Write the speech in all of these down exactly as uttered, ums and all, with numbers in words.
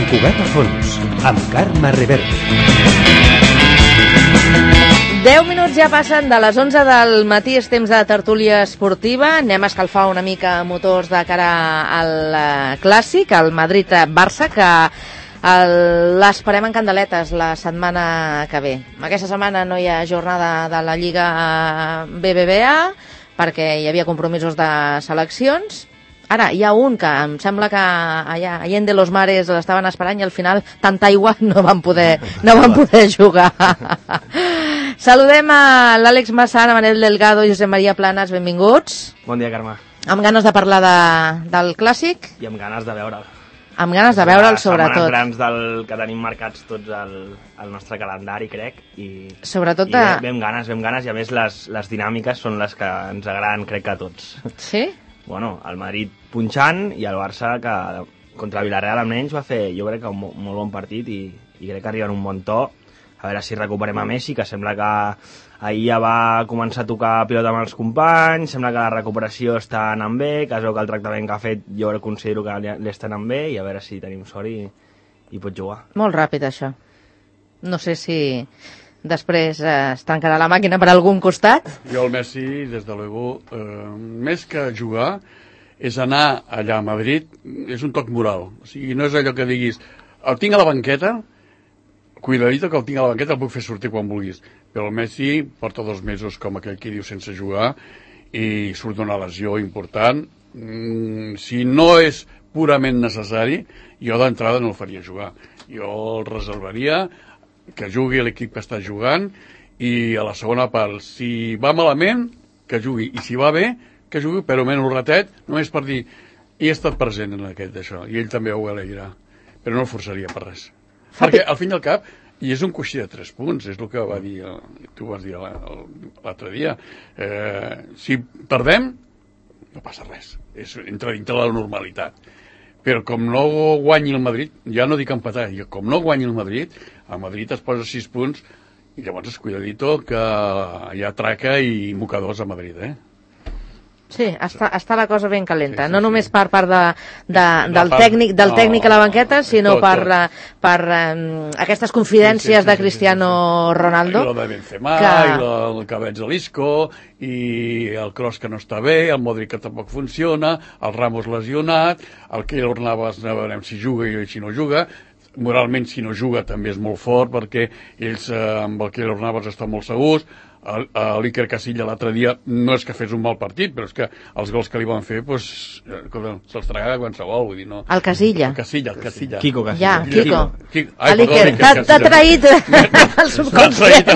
Cugat a fons, amb Carme Reverte. deu minuts ja passen de les onze del matí, és temps de tertúlia esportiva. Anem a escalfar una mica motors de cara al clàssic, al Madrid-Barça, que l'esperem en candeletes la setmana que ve. Aquesta setmana no hi ha jornada de la Lliga B B V A perquè hi havia compromisos de seleccions. Ara, hi ha un que em sembla que allà, Allende los Mares l'estaven esperant i al final tanta aigua no van poder, no van poder jugar. Saludem a l'Àlex Massana, Manel Delgado i Josep Maria Planas, benvinguts. Bon dia, Carme. Amb ganes de parlar de, del clàssic? I amb ganes de veure'l. Amb ganes de veure'l, sobretot. Setmanes grans del que tenim marcats tots al, al nostre calendari, crec. I, sobretot i de... ve, ve amb ganes, ve amb ganes, i a més les, les dinàmiques són les que ens agraden, crec que a tots. Sí? Bueno, el Madrid punxant i el Barça que contra el Villarreal almenys va fer, jo crec que un molt bon partit i, i crec que arriba en un bon to. A veure si recuperem a Messi, que sembla que ahir ja va començar a tocar pilota amb els companys, sembla que la recuperació està anant bé, que es veu que el tractament que ha fet jo considero que li, li està anant bé, i a veure si tenim sort i, i pot jugar. Molt ràpid, això. No sé si després eh, es tancarà la màquina per algun costat. Jo el Messi, des de luego, eh, més que jugar, és anar allà a Madrid, és un toc moral. O sigui, no és allò que diguis, el tinc a la banqueta, cuidadito que el tinc a la banqueta, el puc fer sortir quan vulguis. Però el Messi porta dos mesos, com aquell que diu, sense jugar, i surt d'una lesió important. Mm, si no és purament necessari, jo d'entrada no el faria jugar. Jo el reservaria, que jugui l'equip que està jugant, i a la segona part, si va malament, que jugui, i si va bé, que jugui, però menys un ratet, només per dir, he estat present en aquest d'això, i ell també ho alegrà, però no el forçaria per res. Perquè al fin i al cap, i és un coixí de tres punts, és el que va dir, tu vas dir l'altre dia, eh, si perdem, no passa res, és entra dintre la normalitat. Però com no guanyi el Madrid, ja no dic empatar, com no guanyi el Madrid, el Madrid es posa sis punts i llavors es cuidadito que hi ha traca i mocadors a Madrid, eh? Sí, està, està la cosa ben calenta, sí, sí, no només sí. per part de, de, del, part, tècnic, del no, tècnic a la banqueta, sinó tot, per, tot. per um, aquestes confidències sí, sí, sí, de Cristiano sí, sí, sí. Ronaldo. I la de Benzema, que... i la, el que veig de l'Isco, i el Kroos que no està bé, el Modric que tampoc funciona, el Ramos lesionat, el Keylor Navas no veurem si juga i si no juga. Moralment, si no juga, també és molt fort, perquè ells eh, amb el Keylor Navas estan molt segurs. L'Iker Casilla l'altre dia no és que fes un mal partit, però és que els gols que li van fer pues, se'ls tragava qualsevol, vull dir, no. El Casilla. El Casilla, el Casilla. Quico Casilla. Ja, Quico. Quico. Ai, l'Iker, t'ha traït el subconscient.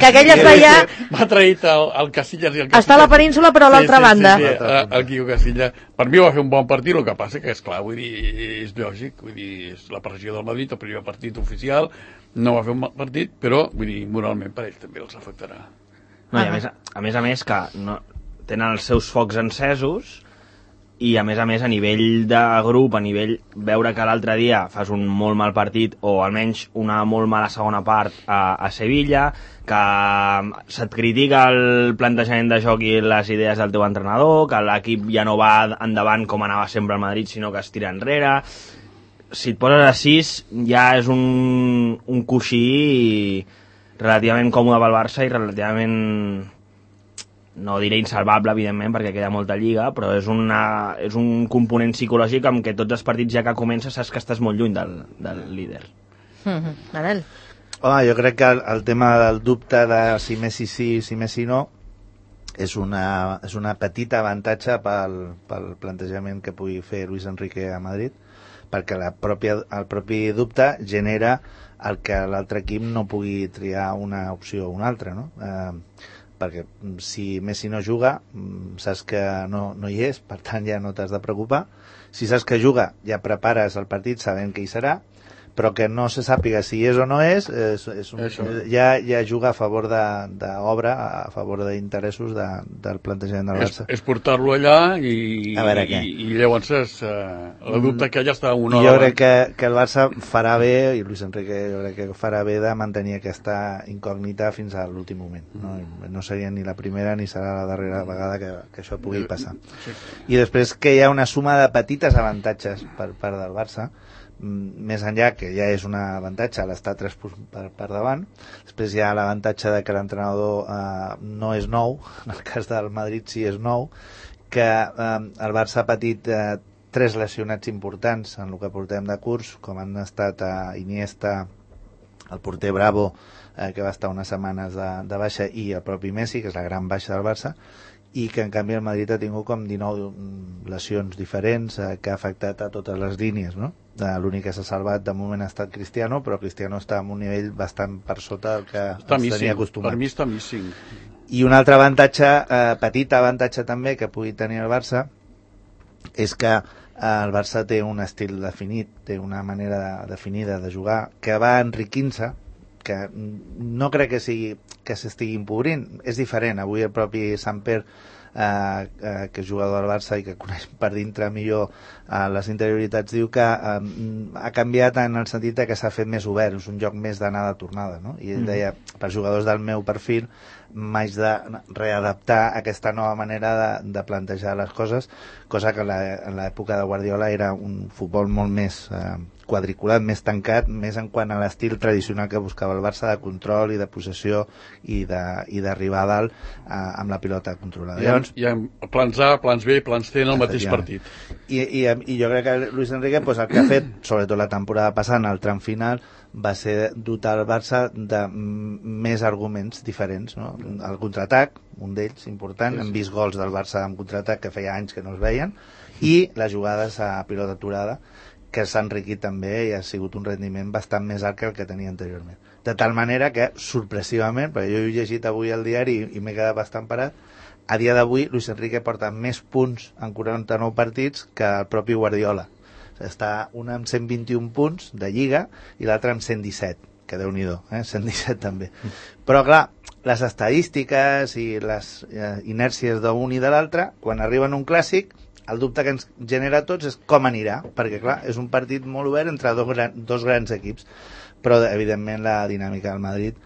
Que aquell està ja... M'ha traït el, el Casilla. El Casilla. Està a la península, però a l'altra sí, sí, banda. Sí, sí, el Quico Casilla. Per mi va fer un bon partit, el que passa que és clar, vull dir, és lògic, vull dir, és la pressió del Madrid, el primer partit oficial, no va fer un mal partit, però, vull dir, moralment per ells també els afectarà. No, i a més a més, a més que no, tenen els seus focs encesos i a més a més a nivell de grup, a nivell veure que l'altre dia fas un molt mal partit o almenys una molt mala segona part a, a Sevilla, que se't critica el plantejament de joc i les idees del teu entrenador, que l'equip ja no va endavant com anava sempre al Madrid, sinó que es tira enrere. Si et poses a sis ja és un, un coixí relativament còmode pel Barça i relativament, no diré insalvable, evidentment, perquè queda molta lliga, però és, una, és un component psicològic amb què tots els partits ja que comences saps que estàs molt lluny del, del líder. Mm-hmm. Manel? Home, jo crec que el, el tema del dubte de si Messi sí, si Messi no, és una, és una petita avantatge pel, pel plantejament que pugui fer Luis Enrique a Madrid, perquè la pròpia, el propi dubte genera el que l'altre equip no pugui triar una opció o una altra, no? Eh, perquè si Messi no juga, saps que no, no hi és, per tant ja no t'has de preocupar. Si saps que juga, ja prepares el partit sabent que hi serà, però que no se sàpiga si és o no és, és, és un, ja, ja juga a favor d'obra, a favor d'interessos de, del plantejament del Barça. És, és portar-lo allà i, i, i llavors és, uh, la dubte que ja està una... Jo crec que, que el Barça farà bé, i Luis Enrique jo crec que farà bé de mantenir aquesta incògnita fins a l'últim moment. No, no seria ni la primera ni serà la darrera vegada que, que això pugui passar. I després que hi ha una suma de petites avantatges per part del Barça, més enllà, que ja és un avantatge l'estar tres punts per, per davant. Després hi ha l'avantatge de que l'entrenador eh, no és nou, en el cas del Madrid sí és nou, que eh, el Barça ha patit eh, tres lesionats importants en el que portem de curs, com han estat eh, Iniesta, el porter Bravo, eh, que va estar unes setmanes de, de baixa, i el propi Messi, que és la gran baixa del Barça, i que en canvi el Madrid ha tingut com dinou lesions diferents eh, que ha afectat a totes les línies, no? L'únic que s'ha salvat de moment ha estat Cristiano, però Cristiano està en un nivell bastant per sota del que està ens missing. tenia acostumat. Per mi està missing. I un altre avantatge, eh, petit avantatge també que pugui tenir el Barça, és que eh, el Barça té un estil definit, té una manera definida de jugar, que va enriquint-se, que no crec que sigui que s'estigui empobrint, és diferent. Avui el propi Samper, eh, eh, que és jugador del Barça i que coneix per dintre millor eh, les interioritats, diu que eh, ha canviat en el sentit que s'ha fet més obert, és un joc més d'anada-tornada, no? I ell deia, per jugadors del meu perfil m'haig de readaptar a aquesta nova manera de, de plantejar les coses, cosa que la, en l'època de Guardiola era un futbol molt més eh, quadriculat, més tancat, més en quant a l'estil tradicional que buscava el Barça, de control i de possessió i d'arribar a dalt eh, amb la pilota controlada. Hi ha, hi ha plans A, plans B, plans C en el mateix partit. I, i, i jo crec que Luis Enrique pues, el que ha fet, sobretot la temporada passada, en el tram final, va ser dotar el Barça de més arguments diferents, no? El contraatac, un d'ells important, hem vist gols del Barça en contraatac que feia anys que no es veien, i les jugades a pilota aturada, que s'ha enriquit també i ha sigut un rendiment bastant més alt que el que tenia anteriorment. De tal manera que, sorpresivament, perquè jo he llegit avui el diari i, i m'he quedat bastant parat, a dia d'avui Luis Enrique porta més punts en quaranta-nou partits que el propi Guardiola. Està un amb cent vint-i-un punts de Lliga i l'altre amb cent disset, que Déu-n'hi-do, eh? cent disset també. Però clar, les estadístiques i les eh, inèrcies d'un i de l'altre, quan arriben a un clàssic, el dubte que ens genera a tots és com anirà, perquè clar, és un partit molt obert entre dos, gran, dos grans equips, però evidentment la dinàmica del Madrid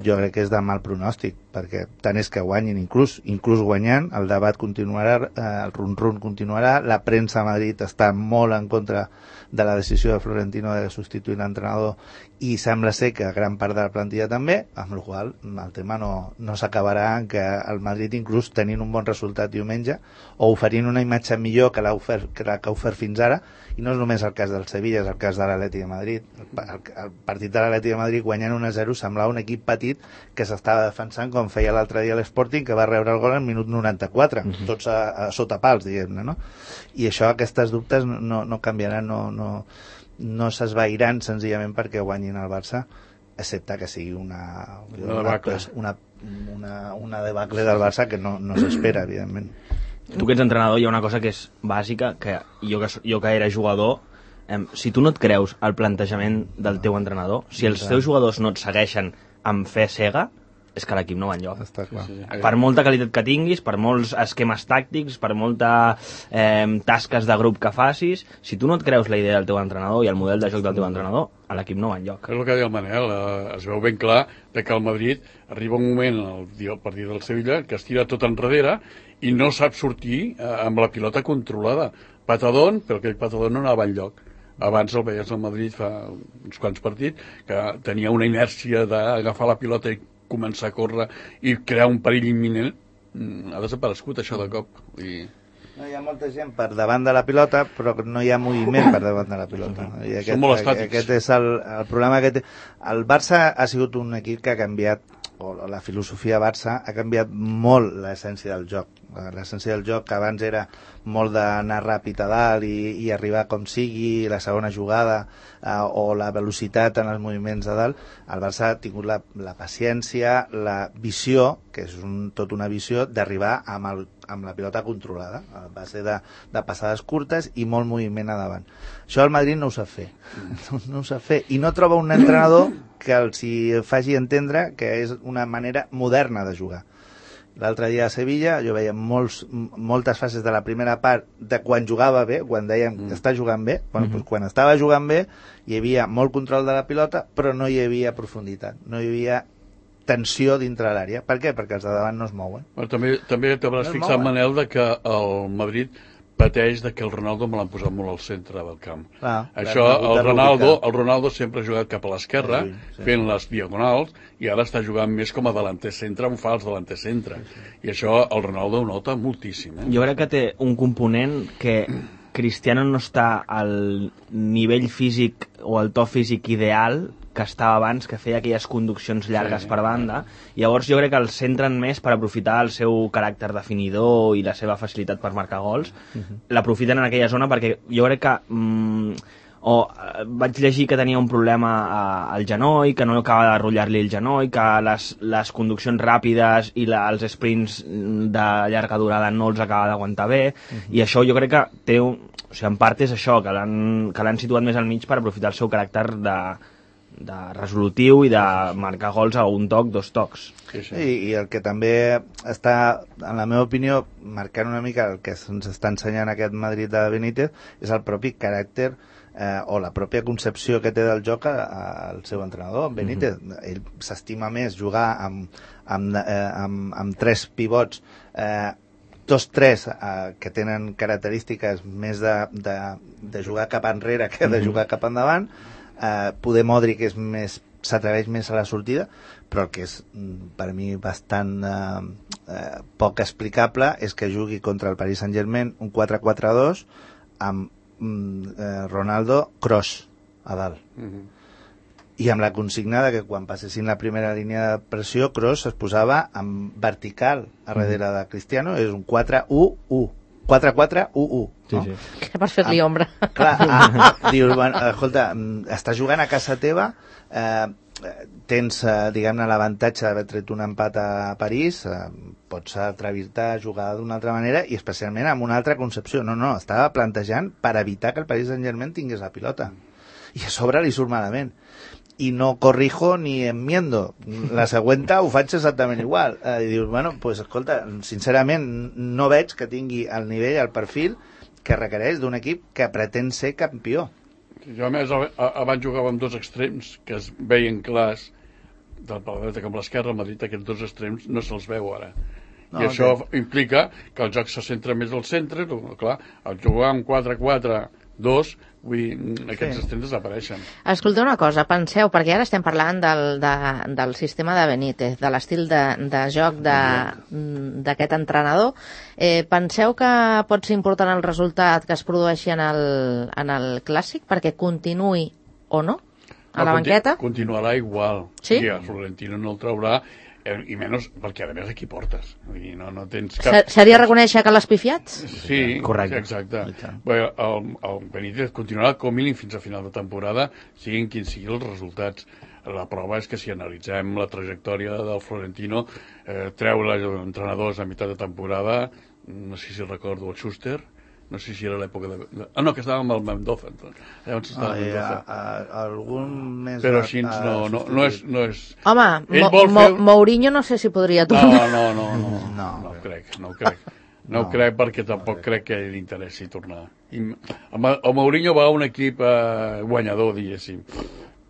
jo crec que és de mal pronòstic, perquè tant és que guanyin, inclús, inclús guanyant, el debat continuarà, eh, el run-run continuarà, la premsa a Madrid està molt en contra de la decisió de Florentino de substituir l'entrenador i sembla ser que gran part de la plantilla també, amb la qual el tema no, no s'acabarà en que el Madrid, inclús tenint un bon resultat diumenge o oferint una imatge millor que l'ha ofert, que la que ha ofert fins ara, i no és només el cas del Sevilla, és el cas de l'Atleti de Madrid. El, el, el partit de l'Atleti de Madrid guanyant un a zero semblava un equip petit que s'estava defensant com feia l'altre dia l'Sporting, que va rebre el gol en minut noranta-quatre, uh-huh. tots a, a sota pals, diguem-ne, no? I això, aquestes dubtes no, no canviaran, no, no, no s'esvairan senzillament perquè guanyin el Barça, excepte que sigui una una debacle, una, una, una debacle del Barça que no, no s'espera, evidentment. Tu que ets entrenador, hi ha una cosa que és bàsica, que jo que, jo que era jugador, eh, si tu no et creus el plantejament del teu entrenador, si els teus jugadors no et segueixen amb fe cega, és que l'equip no va enlloc. Està clar. Sí, sí. Per molta qualitat que tinguis, per molts esquemes tàctics, per molta eh, tasques de grup que facis, si tu no et creus la idea del teu entrenador i el model de joc del teu entrenador, a l'equip no va enlloc. És el que deia el Manel, eh, es veu ben clar de que el Madrid arriba un moment al dia del partit del Sevilla que es tira tot enrere i no sap sortir eh, amb la pilota controlada. Patadón, però aquell patadón no anava enlloc. Abans el veies al Madrid fa uns quants partits que tenia una inèrcia d'agafar la pilota i començar a córrer i crear un perill imminent. Ha desaparegut això de cop. I... No, hi ha molta gent per davant de la pilota, però no hi ha moviment per davant de la pilota. I aquest, Són molt estàtics. Aquest és el, el problema que té. El Barça ha sigut un equip que ha canviat, o la filosofia Barça ha canviat molt l'essència del joc. L'essència del joc, que abans era molt d'anar ràpid a dalt i, i arribar com sigui, la segona jugada eh, o la velocitat en els moviments de dalt, el Barça ha tingut la, la paciència, la visió, que és un, tot una visió, d'arribar amb, el, amb la pilota controlada, a base de, de passades curtes i molt moviment a davant. Això el Madrid no ho sap fer, no, no ho sap fer, i no troba un entrenador que els hi faci entendre que és una manera moderna de jugar. L'altre dia a Sevilla jo veia molts, moltes fases de la primera part de quan jugava bé, quan dèiem que està jugant bé, bueno, mm-hmm. doncs quan estava jugant bé hi havia molt control de la pilota, però no hi havia profunditat, no hi havia tensió dintre l'àrea. Per què? Perquè els de davant no es mouen. Bueno, també també t'hauràs No es fixat, mouen. Manel, de que el Madrid pateix de que el Ronaldo me l'han posat molt al centre del camp. Ah, Això, el Ronaldo, el Ronaldo sempre ha jugat cap a l'esquerra, sí, sí. fent les diagonals, i ara està jugant més com a delanter centre, un fals delanter centre. Sí, sí. I això el Ronaldo ho nota moltíssim. Eh? Jo crec que té un component que Cristiano no està al nivell físic o al to físic ideal que estava abans, que feia aquelles conduccions llargues sí, per banda, i llavors jo crec que el centren més per aprofitar el seu caràcter definidor i la seva facilitat per marcar gols, uh-huh. l'aprofiten en aquella zona perquè jo crec que mm, o eh, vaig llegir que tenia un problema eh, al genoll, que no acaba de rotllar-li el genoll, que les, les conduccions ràpides i la, els sprints de llarga durada no els acaba d'aguantar bé, uh-huh. i això jo crec que té un, o sigui, en part és això, que l'han, que l'han situat més al mig per aprofitar el seu caràcter de de resolutiu i de marcar gols a un toc, dos tocs. Sí, sí. I, I el que també està, en la meva opinió, marcant una mica el que ens està ensenyant aquest Madrid de Benítez és el propi caràcter eh, o la pròpia concepció que té del joc al seu entrenador, Benítez. Mm-hmm. Ell s'estima més jugar amb, amb, eh, amb, amb tres pivots eh, dos tres eh, que tenen característiques més de, de, de jugar cap enrere que de jugar cap endavant. Uh, poder Modric és més, s'atreveix més a la sortida, però el que és per mi bastant uh, uh, poc explicable és que jugui contra el Paris Saint-Germain un quatre quatre dos amb uh, Ronaldo Kroos a dalt. Mm-hmm. I amb la consigna de que quan passessin la primera línia de pressió, Kroos es posava en vertical a darrere mm-hmm. de Cristiano, és un quatre u u. quatre quatre u u. Sí, no? sí. Que per fer-li ombra. Clar, ah, dius, bueno, escolta, estàs jugant a casa teva, eh, tens, eh, diguem-ne, l'avantatge d'haver tret un empat a París, eh, pots atrevir-te a jugar d'una altra manera i especialment amb una altra concepció. No, no, estava plantejant per evitar que el Paris Saint-Germain tingués la pilota. I a sobre li surt malament. I no corrijo ni enmiendo. La següenta ho faig exactament igual. Eh, I dius, bueno, pues, escolta, sincerament no veig que tingui el nivell, el perfil que requereix d'un equip que pretén ser campió. Jo, a més, abans jugava amb dos extrems que es veien clars, del per la dreta com l'esquerra, al Madrid aquests dos extrems no se'ls veu ara. No, I això okay. implica que el joc se centra més al centre, no, clar, al jugar amb quatre quatre dos, vull dir, aquests sí. extrems desapareixen. Escolteu una cosa, penseu, perquè ara estem parlant del, de, del sistema de Benítez, de l'estil de, de joc d'aquest entrenador. Eh, penseu que pot ser important el resultat que es produeixi en el, en el Clàssic perquè continuï o no a no, la banqueta? Continuarà igual. Sí? I el Florentino no el traurà, i menys perquè a més aquí portes, vull dir, no, no tens cap... Seria reconèixer que l'has pifiat? Sí, correcte. Exacte. Bé, el, el Benítez continuarà com mínim fins a final de temporada, siguin quins siguin els resultats. La prova és que si analitzem la trajectòria del Florentino, eh, treure entrenadors a meitat de temporada, no sé si recordo el Schuster, no sé si era l'època de... Ah, no, que estava amb el Mendoza. Llavors estava ah, Mendoza. A, a, algun més... Però així a, no, no, no, és, no és... Home, Mo, Mo, fer... Mourinho no sé si podria tornar. No, no, no, no, no, no, no crec, no crec. No, no crec perquè tampoc no crec que li interessi tornar. I, el, el Mourinho va a un equip eh, guanyador, diguéssim,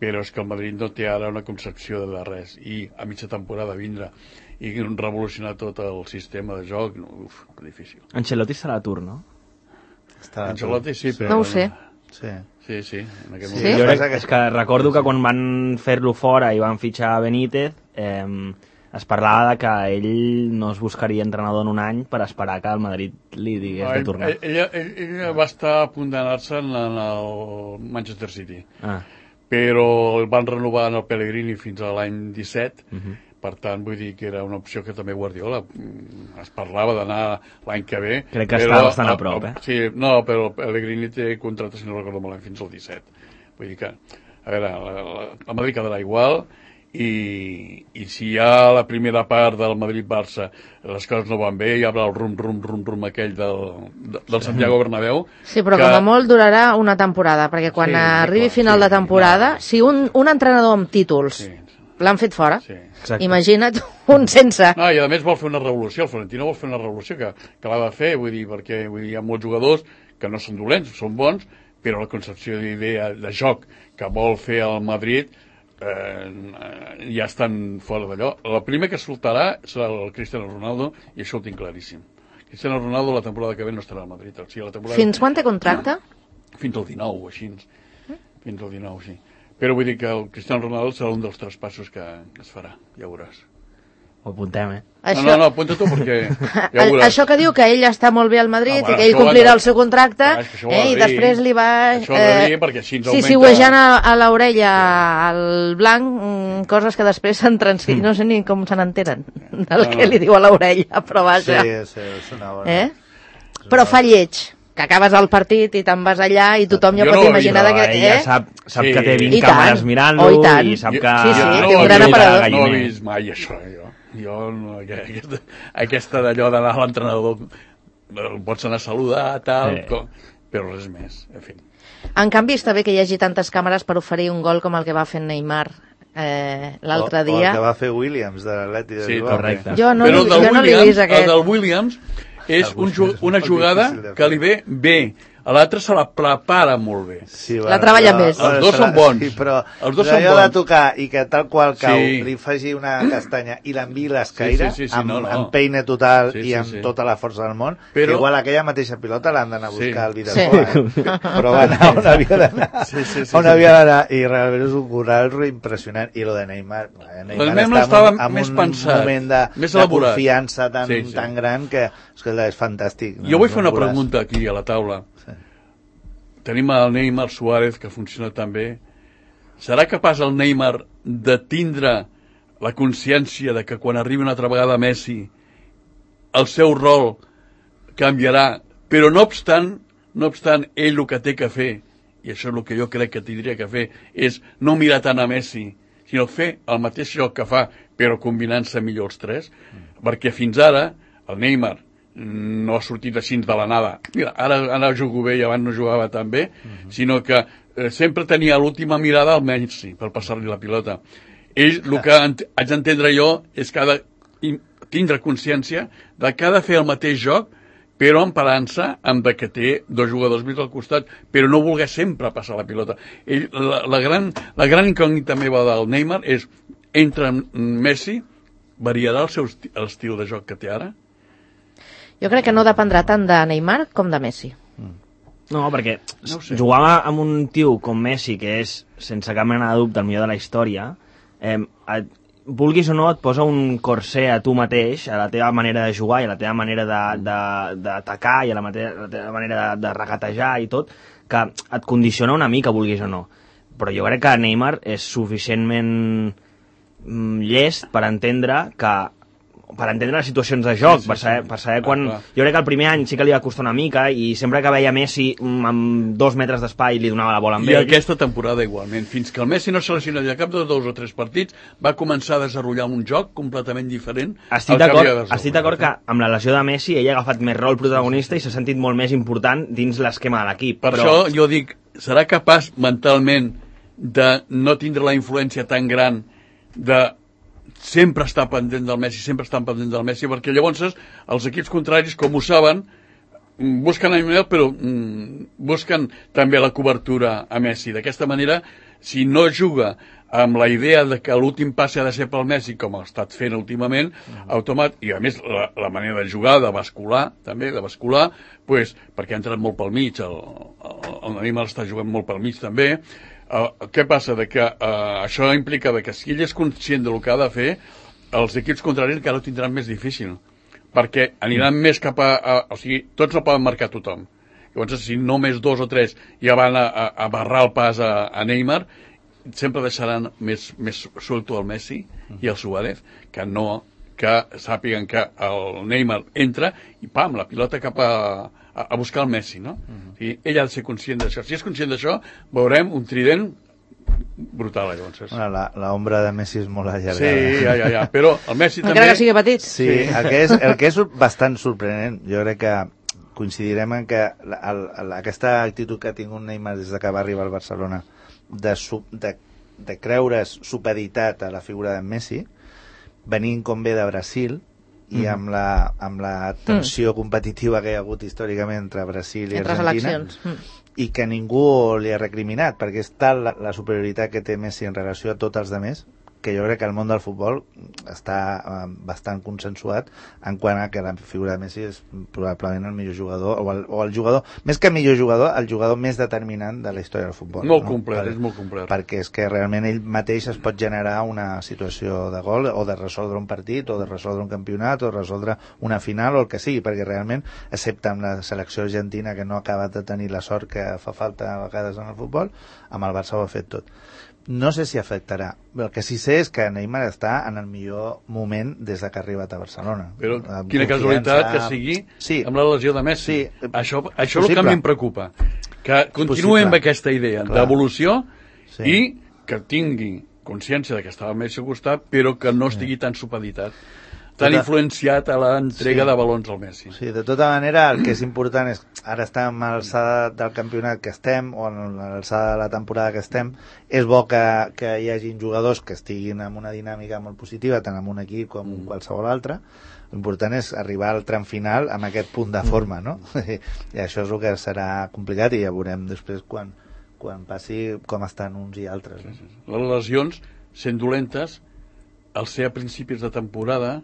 però és que el Madrid no té ara una concepció de res. I a mitja temporada vindre i revolucionar tot el sistema de joc, no, uf, difícil. Ancelotti estarà a tur, no? Ancelotti sí, però... No ho sé. Sí. Sí, sí. En aquest sí? Jo crec, és que recordo que quan van fer-lo fora i van fitxar Benítez, eh, es parlava de que ell no es buscaria entrenador en un any per esperar que el Madrid li digués no, de tornar. Ell, ell, ell va estar a punt d'anar-se en el Manchester City, ah. però el van renovar en el Pellegrini fins a l'any disset, uh-huh. Per tant, vull dir que era una opció que també Guardiola es parlava d'anar l'any que ve. Crec que està bastant a prop, eh? Sí, no, però Pellegrini té contracte, si no recordo malament, fins al disset. Vull dir que, a veure, el Madrid quedarà igual i, i si ja la primera part del Madrid-Barça les coses no van bé, hi haurà el rum-rum rum-rum aquell del, del Santiago Bernabéu. Sí, però que... com a molt durarà una temporada, perquè quan sí, arribi clar, final sí, de temporada, no. Si un, un entrenador amb títols... Sí. L'han fet fora. Sí, imagina't un sense. No, i a més vol fer una revolució. El Florentino vol fer una revolució que, que l'ha de fer, vull dir, perquè vull dir, hi ha molts jugadors que no són dolents, són bons, però la concepció d'idea de joc que vol fer el Madrid eh, ja estan fora d'allò. El primer que soltarà serà el Cristiano Ronaldo, i això ho tinc claríssim. Cristiano Ronaldo la temporada que ve no estarà al Madrid. O sigui, la temporada... Fins quan té contracte? Fins al dinou o així. Fins al dinou, sí. Però vull dir que el Cristiano Ronaldo serà un dels traspassos que, que es farà, ja veuràs. Ho apuntem, eh? Això... No, no, no, apunta tu perquè ja ho veuràs. Això que diu que ell està molt bé al Madrid No, bueno, i que ell això ho ha complirà de- el seu contracte, Clar, és que això ho ha eh, de i dir. després li va... Això ho ha de dir perquè així ens sí, augmenta- sí, huejant a, a l'orella al blanc, mm, coses que després se'n transcriuen, no sé ni com se n'entenen del No, que no. li diu a l'orella, però vaja. Sí, sí, és una bona... Eh? Però fa lleig, que acabes el partit i te'n vas allà i tothom ja Jo pot no ho he imaginar Però de que... ella Eh? sap, sap Sí. que té vint I tant. càmeres mirant-lo Oh, i tant. i sap Jo- que... Sí, sí, jo té un ho he gran vist, aparador. No ho he galliner. vist mai, això, jo. Jo, no, aquesta, aquesta d'allò d'anar a l'entrenador, el pots anar a saludar, tal, Sí. com, però res més, en fi. En canvi, està bé que hi hagi tantes càmeres per oferir un gol com el que va fer Neymar eh, l'altre O, o dia. el que va fer Williams de l'Atleti de Sí, Bilbao. correcte. Jo no, Però li, el del jo no l'he Williams, vist, aquest. el del Williams és un, ju- una molt jugada difícil de fer. que li ve bé. A l'altre se la prepara molt bé. Sí, La treballa més. Els dos són bons. Sí, però Els dos allò són de bons. tocar i que tal qual cau Sí. li faci una castanya i l'enviï l'escaire Sí, sí, sí, sí, amb, no, no. amb peine total Sí, i sí, amb sí. tota la força del món, Però- però... igual aquella mateixa pilota l'han d'anar a buscar Sí. al Vidasoa, Sí. eh? però va anar on havia d'anar, Sí, sí, sí, on sí. havia d'anar, i realment és un corral impressionant. I lo de Neymar, eh, Neymar, Neymar està estava en un, en més un pensat, moment de, més de elaborat. confiança tan, Sí, sí. tan gran que escolta, és fantàstic. Jo vull fer una No veuràs. pregunta aquí a la taula. Sí. Tenim el Neymar Suárez, que funciona tan bé. Serà capaç el Neymar de tindre la consciència de que quan arribi una altra vegada Messi el seu rol canviarà, però no obstant, no obstant ell el que té que fer, i això és el que jo crec que tindria que fer, és no mirar tant a Messi, sinó fer el mateix joc que fa, però combinant-se millor els tres, mm. perquè fins ara el Neymar no ha sortit així de la nada. Mira, ara, ara jugo bé i abans no jugava tan bé, mm-hmm. sinó que eh, sempre tenia l'última mirada al Messi per passar-li la pilota. Ell, el que ent haig d'entendre jo és que ha de tindre consciència de que ha de fer el mateix joc, però emparant-se amb de que té dos jugadors més al costat, però no voler sempre passar la pilota. Ell, la, la, gran, la gran incògnita meva del Neymar és, entre Messi, variarà el seu esti el estil de joc que té ara? Jo crec que no dependrà tant de Neymar com de Messi. No, perquè No ho sé. jugar amb un tio com Messi, que és, sense cap mena de dubte, el millor de la història, eh, et, vulguis o no, et posa un corser a tu mateix, a la teva manera de jugar i a la teva manera d'atacar i a la, la teva manera de, de regatejar i tot, que et condiciona una mica, vulguis o no. Però jo crec que Neymar és suficientment mm, llest per entendre que per entendre les situacions de joc, Sí, sí, per saber, sí. per saber Ah, quan... clar. Jo crec que el primer any sí que li va costar una mica i sempre que veia Messi mm, amb dos metres d'espai li donava la bola amb I ell. aquesta temporada igualment. Fins que el Messi no seleccionaria cap dels dos o tres partits, va començar a desenvolupar un joc completament diferent. Estic al que havia d'acord desenvolupat. estic d'acord que amb la lesió de Messi ell ha agafat més rol protagonista i s'ha sentit molt més important dins l'esquema de l'equip. Per però... això jo dic, serà capaç mentalment de no tindre la influència tan gran de sempre estar pendent del Messi, sempre estar pendent del Messi, perquè llavors els equips contraris, com ho saben, busquen a Neymar, però mm, busquen també la cobertura a Messi. D'aquesta manera, si no juga amb la idea de que l'últim passe ha de ser pel Messi, com ha estat fent últimament, uh-huh. automat, i a més la, la manera de jugar, de bascular, també, de bascular, pues, perquè ha entrat molt pel mig, el, el, el Neymar està jugant molt pel mig també. Uh, què passa? De que uh, això implica de que si ell és conscient del que ha de fer, els equips contraris encara ho tindran més difícil, perquè aniran mm. més cap a, a... O sigui, tots el poden marcar tothom. Llavors, si només dos o tres ja van a, a, a barrar el pas a, a Neymar, sempre deixaran més, més suelto el Messi mm. i el Suárez, que no que sàpiguen que el Neymar entra i pam, la pilota cap a, a, a buscar el Messi, no? Uh-huh. I ell ha de ser conscient d'això. Si és conscient d'això, veurem un trident brutal, llavors. Bueno, la, la ombra de Messi és molt allargada. Sí, ja, ja, ja. Però el Messi Encara també... que sigui petit. Sí, el que, és, el que és bastant sorprenent, jo crec que coincidirem en que la, el, el, aquesta actitud que ha tingut Neymar des de que va arribar al Barcelona de, su, de, de creure's supeditat a la figura de Messi, venint com ve de Brasil i mm. amb, la, amb la tensió mm. competitiva que hi ha hagut històricament entre Brasil i entre Argentina mm. i que ningú li ha recriminat perquè és tal la, la superioritat que té Messi en relació a tots els demés que jo crec que el món del futbol està eh, bastant consensuat en quant a que la figura de Messi és probablement el millor jugador, o el, o el jugador, més que millor jugador, el jugador més determinant de la història del futbol. Molt no? complet, per, és molt complet. Perquè és que realment ell mateix es pot generar una situació de gol, o de resoldre un partit, o de resoldre un campionat, o de resoldre una final, o el que sigui, perquè realment, excepte amb la selecció argentina, que no ha acabat de tenir la sort que fa falta a vegades en el futbol, amb el Barça ho ha fet tot. No sé si afectarà. El que sí sé és que Neymar està en el millor moment des de que ha arribat a Barcelona. Però quina casualitat que sigui sí. amb la lesió de Messi. Sí. Això, això és el que a mi em preocupa. Que continuï amb aquesta idea d'evolució sí. i que tingui consciència de que estava Messi al costat, però que no estigui tan supeditat, tan tota... influenciat a l'entrega sí. de balons al Messi. Sí, de tota manera, el que és important és, ara estem a l'alçada del campionat que estem, o a l'alçada de la temporada que estem, és bo que, que hi hagin jugadors que estiguin amb una dinàmica molt positiva, tant en un equip com en mm. qualsevol altre. L'important és arribar al tram final amb aquest punt de forma, no? I això és el que serà complicat i ja veurem després quan, quan passi com estan uns i altres. No? Sí, sí. Les lesions, sent dolentes, al ser a principis de temporada,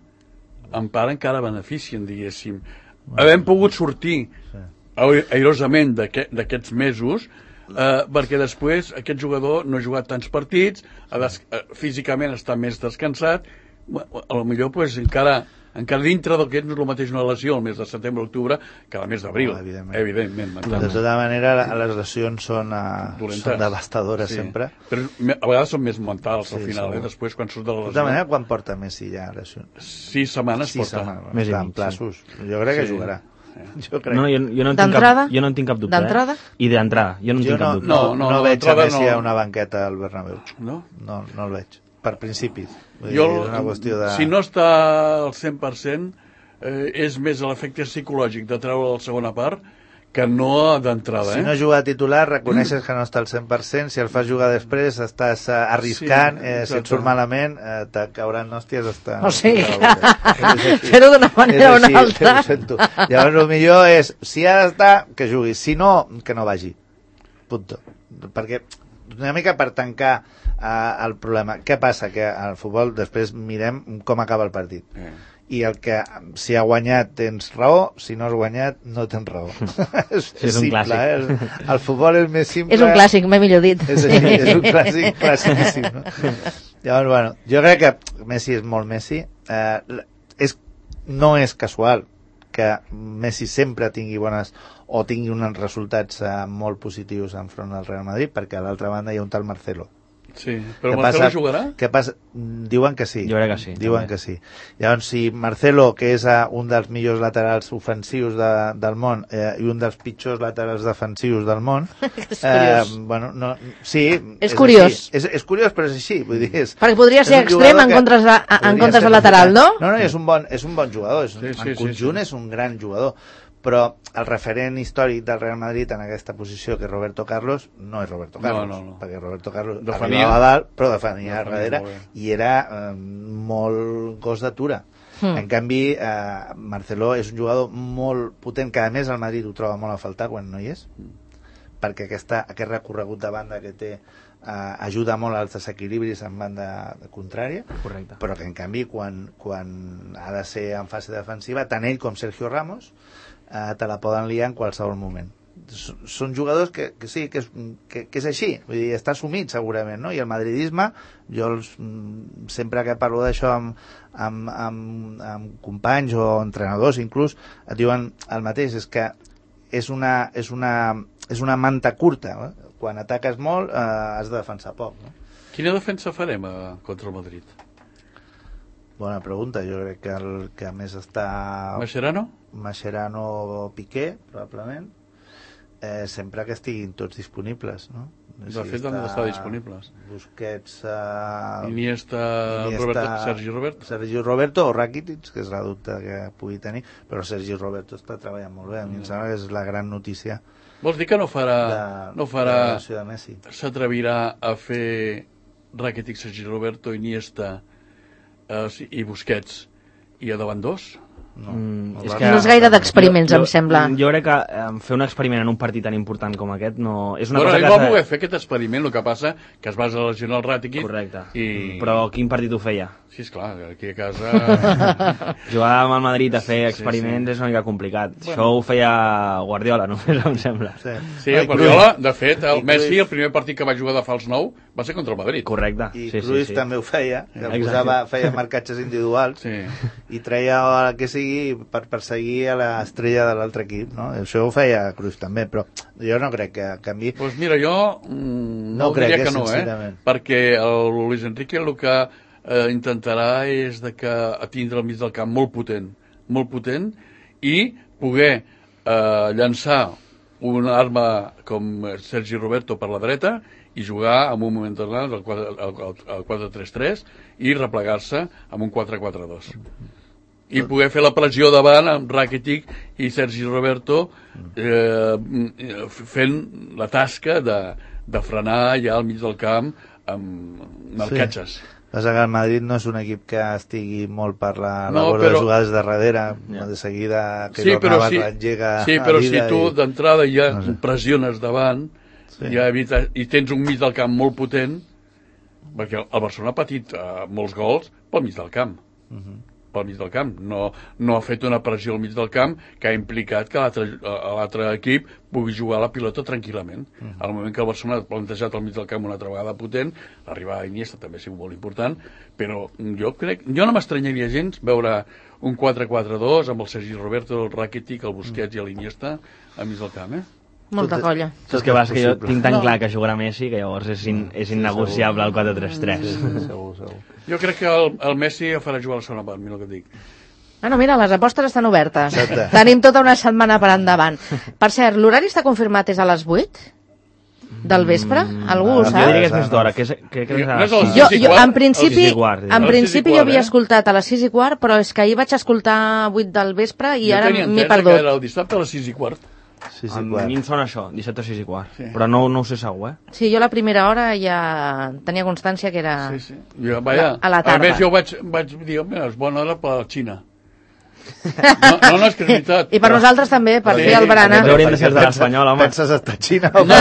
en part encara beneficien, diguéssim. Bueno, havem pogut sortir sí. airosament d'aquests mesos eh, perquè després aquest jugador no ha jugat tants partits, ha des, eh, físicament està més descansat, a lo millor pues, encara, encara dintre del que és el mateix una lesió el mes de setembre, octubre, que el mes d'abril, oh, evidentment. evidentment de tota manera, les lesions són, uh, són devastadores sí. sempre. Però a vegades són més mentals sí, al final, eh? Després quan surt de la lesió. De tota manera, quan porta Messi ja lesions? Sis setmanes Sis porta. Setmanes, més en plaços. Sí. Jo crec que sí. jugarà. Jo crec. No, jo, jo, no en tinc cap, jo no en tinc cap dubte. D'entrada? Eh? I d'entrada, jo no en jo tinc no, cap dubte. No, no, no, no veig a Messi no... a una banqueta al Bernabéu. No? No, no el veig. Per principis. Jo, és una qüestió de... Si no està al cent per cent, eh, és més l'efecte psicològic de treure la segona part que no d'entrada. Si eh? no juga a titular, reconeixes que no està al cent per cent, si el fas jugar després, estàs uh, arriscant, sí, eh, si et surt malament, eh, te cauran hòsties hasta... O sigui, fer-ho d'una manera o una altra. Ho sento. Llavors, el millor és, si ha d'estar, que jugui, si no, que no vagi. Punto. Perquè, una mica per tancar uh, el problema. Què passa? Que al futbol després mirem com acaba el partit. Eh. I el que, si ha guanyat tens raó, si no has guanyat no tens raó. és, sí, és simple, un eh? El, el futbol és més simple. És un clàssic, m'he millor dit. És, sí. és un clàssic clàssicíssim, no? Llavors, bueno, jo crec que Messi és molt Messi. Eh, és, no és casual que Messi sempre tingui bones o tingui uns resultats eh, molt positius enfront del Real Madrid, perquè a l'altra banda hi ha un tal Marcelo. Sí, però Marcelo passa, jugarà? Què passa? Diuen que sí. Jo crec que sí. Diuen també. que sí. Llavors, si Marcelo, que és uh, un dels millors laterals ofensius de, del món eh, i un dels pitjors laterals defensius del món... és curiós. Eh, bueno, no, sí, és, és curiós. És, és curiós, però és així. Vull dir, és, perquè podria ser extrem en comptes de, en comptes de lateral, no? No, no, és un bon, és un bon jugador. És, sí, sí, en conjunt sí, sí. és un gran jugador. Però el referent històric del Real Madrid en aquesta posició, que és Roberto Carlos, no és Roberto Carlos, no, no, no. perquè Roberto Carlos defenia, arribava a dalt, però defenia a defenia darrere, i era eh, molt gos d'atura. Mm. En canvi, eh, Marcelo és un jugador molt potent, que a més el Madrid ho troba molt a faltar quan no hi és, perquè aquesta, aquest recorregut de banda que té Uh, ajuda molt als desequilibris en banda contrària. Correcte. Però que en canvi quan, quan ha de ser en fase defensiva, tant ell com Sergio Ramos uh, te la poden liar en qualsevol moment. S són jugadors que, que sí, que és, que, que és així, vull dir, està assumit segurament, no? I el madridisme, jo els, sempre que parlo d'això amb, amb, amb, amb companys o entrenadors inclús, et diuen el mateix, és que és una, és una, és una manta curta, eh? Quan ataques molt eh, has de defensar poc, no? Quina defensa farem eh, contra el Madrid? Bona pregunta, jo crec que el que a més està... Mascherano? Mascherano o Piqué, probablement, eh, sempre que estiguin tots disponibles, no? De si fet, han d'estar disponibles. Busquets... Eh, Iniesta, Iniesta Roberto, Sergi Roberto. Sergi Roberto o Rakitic, que és la dubte que pugui tenir, però Sergi Roberto està treballant molt bé, a mi em sembla que és la gran notícia. Vols dir que no farà... De, no farà s'atrevirà a fer Rakitic, Sergi Roberto, Iniesta eh, i Busquets i a davant dos? No, Mm, el és Barça que- No és gaire d'experiments, Jo- em sembla. Jo crec que eh, fer un experiment en un partit tan important com aquest no... És una Bueno, cosa ell que... va s'ha- voler fer aquest experiment, el que passa que es va lesionar el Ràtiquit. Correcte. I... Però quin partit ho feia? Sí, esclar, aquí a casa... Jugar amb el Madrid a fer Sí, experiments sí. és una mica complicat. Això ho feia Guardiola, només em sembla. Sí, Sí, No, i el Guardiola, de fet, I el Messi, Cruyff- el primer partit que va jugar de fals nou va ser contra el Madrid. Correcte. I sí, Cruyff sí, sí. també ho feia, que Exacte. posava, feia marcatges individuals Sí. i treia el que sigui per perseguir a l'estrella de l'altre equip, no? Això ho feia Cruyff també, però jo no crec que canvi. Doncs pues mira, jo mm, no, No crec, diria eh, que no, eh? sincerament. Perquè el Luis Enrique el que eh, intentarà és de que tindre al mig del camp molt potent, molt potent, i poder eh, llançar una arma com Sergi Roberto per la dreta i jugar en un moment determinat al quatre tres tres i replegar-se amb un quatre quatre dos. I poder fer la pressió davant amb Rakitic i Sergi Roberto eh, fent la tasca de, de frenar ja al mig del camp amb marcatges. Sí. Passa que el Madrid no és un equip que estigui molt per la No, labor però- de jugades de darrere, Ja. de seguida que Sí, però Navas si, engega sí, a però si vida tu i- d'entrada ja No sé. pressiones davant Sí. ja evita, i tens un mig del camp molt potent, perquè el Barcelona ha patit uh, molts gols pel mig del camp. Mhm. pel mig del camp. No, no ha fet una pressió al mig del camp que ha implicat que l'altre a l'altre equip pugui jugar la pilota tranquil·lament. Mm. Al moment que el Barcelona ha plantejat al mig del camp una altra vegada potent, l'arribada d'Iniesta també ha sigut molt important, però jo crec, jo no m'estranyaria gens veure un quatre quatre dos amb el Sergi Roberto, el Rakitic, el Busquets mm. i l'Iniesta al mig del camp, eh? Molta Tot- colla. És que, vas, que jo possible. tinc tan No. clar que jugarà Messi que llavors és, in, és innegociable el quatre tres tres. Sí, sí, segur, segur. Jo crec que el, el Messi el farà jugar a la segona part, mira el que et dic. Bueno, mira, les apostes estan obertes. Exacte. Tenim tota una setmana per endavant. Per cert, l'horari està confirmat és a les vuit del vespre? Algú ho ah, Jo sap? diria que és més d'hora. Que, és- que, que és a No és les el sis. Jo, sis i jo quart, en principi, sis i quart, en sí. El principi sis i jo quart, havia eh? escoltat a les sis i quart, però és que ahir vaig escoltar vuit del vespre i jo ara tenia m'he entès que perdut. era el dissabte a les sis i quart. Sí, sí, A clar. mi em sona això, dissabte a sis i quart. Sí. Però no, no ho sé segur, eh? Sí, jo la primera hora ja tenia constància que era... Sí, sí. Jo, vaja, A la tarda. A més, jo vaig, vaig dir, home, és bona hora per la Xina. No, no, no és que és veritat. I per nosaltres també, per Sí, fer el barana. també hauríem de ser de Pensa- l'Espanyol, home. Penses estar a Xina o No,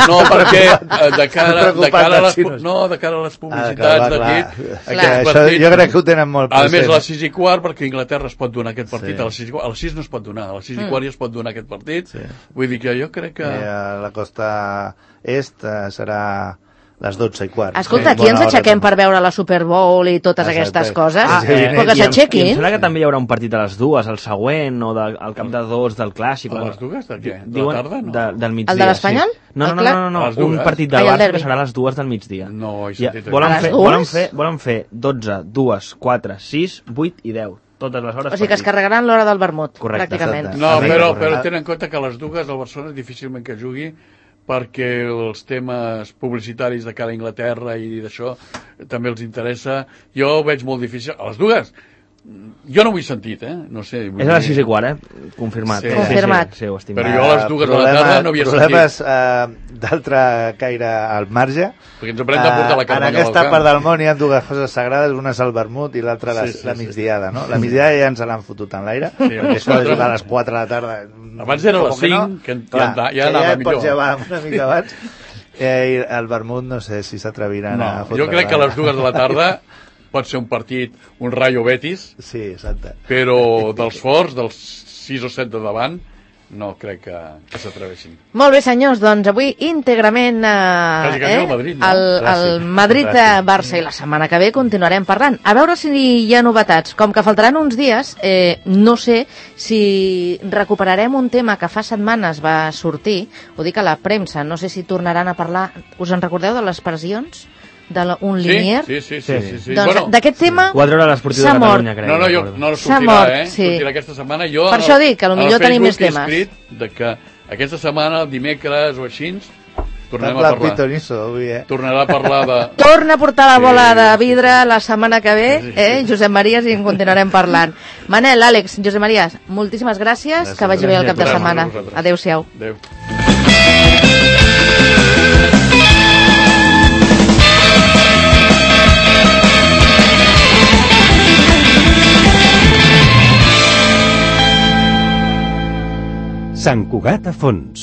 no, perquè eh, de cara, de Preocupat cara a dels les, pu- xinos. no, de cara a les Ah, publicitats clar, de clar. dit, Que aquests això, partits- jo crec que ho tenen molt A present. més, a les sis i quart, perquè Inglaterra es pot donar aquest partit Sí. a les sis i quart. A les sis no es pot donar, a les sis i Mm. quart ja es pot donar aquest partit. Sí. Vull dir que jo crec que... Eh, a la costa est eh, serà les dotze i quart. Escolta, Sí, aquí ens bona hora aixequem també. per veure la Super Bowl i totes Exacte. aquestes coses? Ah, Però sí, que i em- I em s'aixequin. sembla que també hi haurà un partit a les dues, el següent, o de, al cap de dos del Clàssic. A les dues de què? De la Diuen- tarda, no? De, del migdia. El de l'Espanyol? Sí. No, El no, no, Clà- no, no, A les no. un dues? partit Ai, del el Barça derbi. que serà a les dues del migdia. No, he Ja, sentit volen, A les fer, dues? volen, fer, volen fer dotze, dos, quatre, sis, vuit i deu. Totes les hores O sigui que es partit. carregaran l'hora del vermut, Correcte. pràcticament. Exacte. No, Sí, però, correcte. però tenen en compte que a les dues el Barcelona difícilment que jugui perquè els temes publicitaris de cara a Inglaterra i d'això també els interessa. Jo ho veig molt difícil. A les dues, jo no ho he sentit, eh? No sé. vull És a les dir- sis i quart, eh? Confirmat. Sí. Confirmat. Sí, sí, sí, ho estic Però mirant. jo a les dues de la tarda no havia Problemes eh, d'altre caire al marge. Perquè ens haurem de portar la Eh, carn En aquesta part del món hi ha dues coses sagrades, una és el vermut i l'altra la, Sí, sí, la sí. migdiada, no? La migdiada ja ens l'han fotut en l'aire, Sí, perquè això de jugar a les quatre de la tarda... Abans era a les com que cinc, que ja clar, anda- ja que anava ja et millor. pots llevar una mica abans. Eh, I el vermut no sé si s'atreviran a No, fotre jo crec que a les dues de la tarda pot ser un partit, un Rayo Betis, Sí, exacte. però dels forts, dels sis o set de davant, no crec que, que s'atreveixin. Molt bé, senyors, doncs avui íntegrament eh, Quasi, quasi eh, el Madrid, no? el, el Clàssic. Madrid-Barça i la setmana que ve continuarem parlant. A veure si hi ha novetats. Com que faltaran uns dies, eh, no sé si recuperarem un tema que fa setmanes va sortir, ho dic a la premsa, no sé si tornaran a parlar, us en recordeu de les pressions? De la, un Sí, linier? sí, sí, sí, Sí. sí, sí. Doncs Bueno, d'aquest tema Ho va treure l'Esportiu de s'ha mort. Catalunya, crec. no, no, jo, recordo. no S'ha sortirà, mort, eh? sí. Sortirà aquesta setmana. Jo, Per en això el- dic que en el potser tenim més Facebook he temes. escrit de que aquesta setmana, el dimecres o així, tornarem a Sembla parlar. pitonisso, avui, eh? Tornarà a parlar de... torna a portar la Sí, bola de sí, vidre la setmana que ve, Sí, sí, eh? sí. Josep Maries, i en continuarem parlant. Manel, Àlex, Josep Maries, moltíssimes gràcies, Gràcies. que vagi bé el cap de Gràcies a setmana. vosaltres. Adéu-siau. Adéu. Sant Cugat a fons.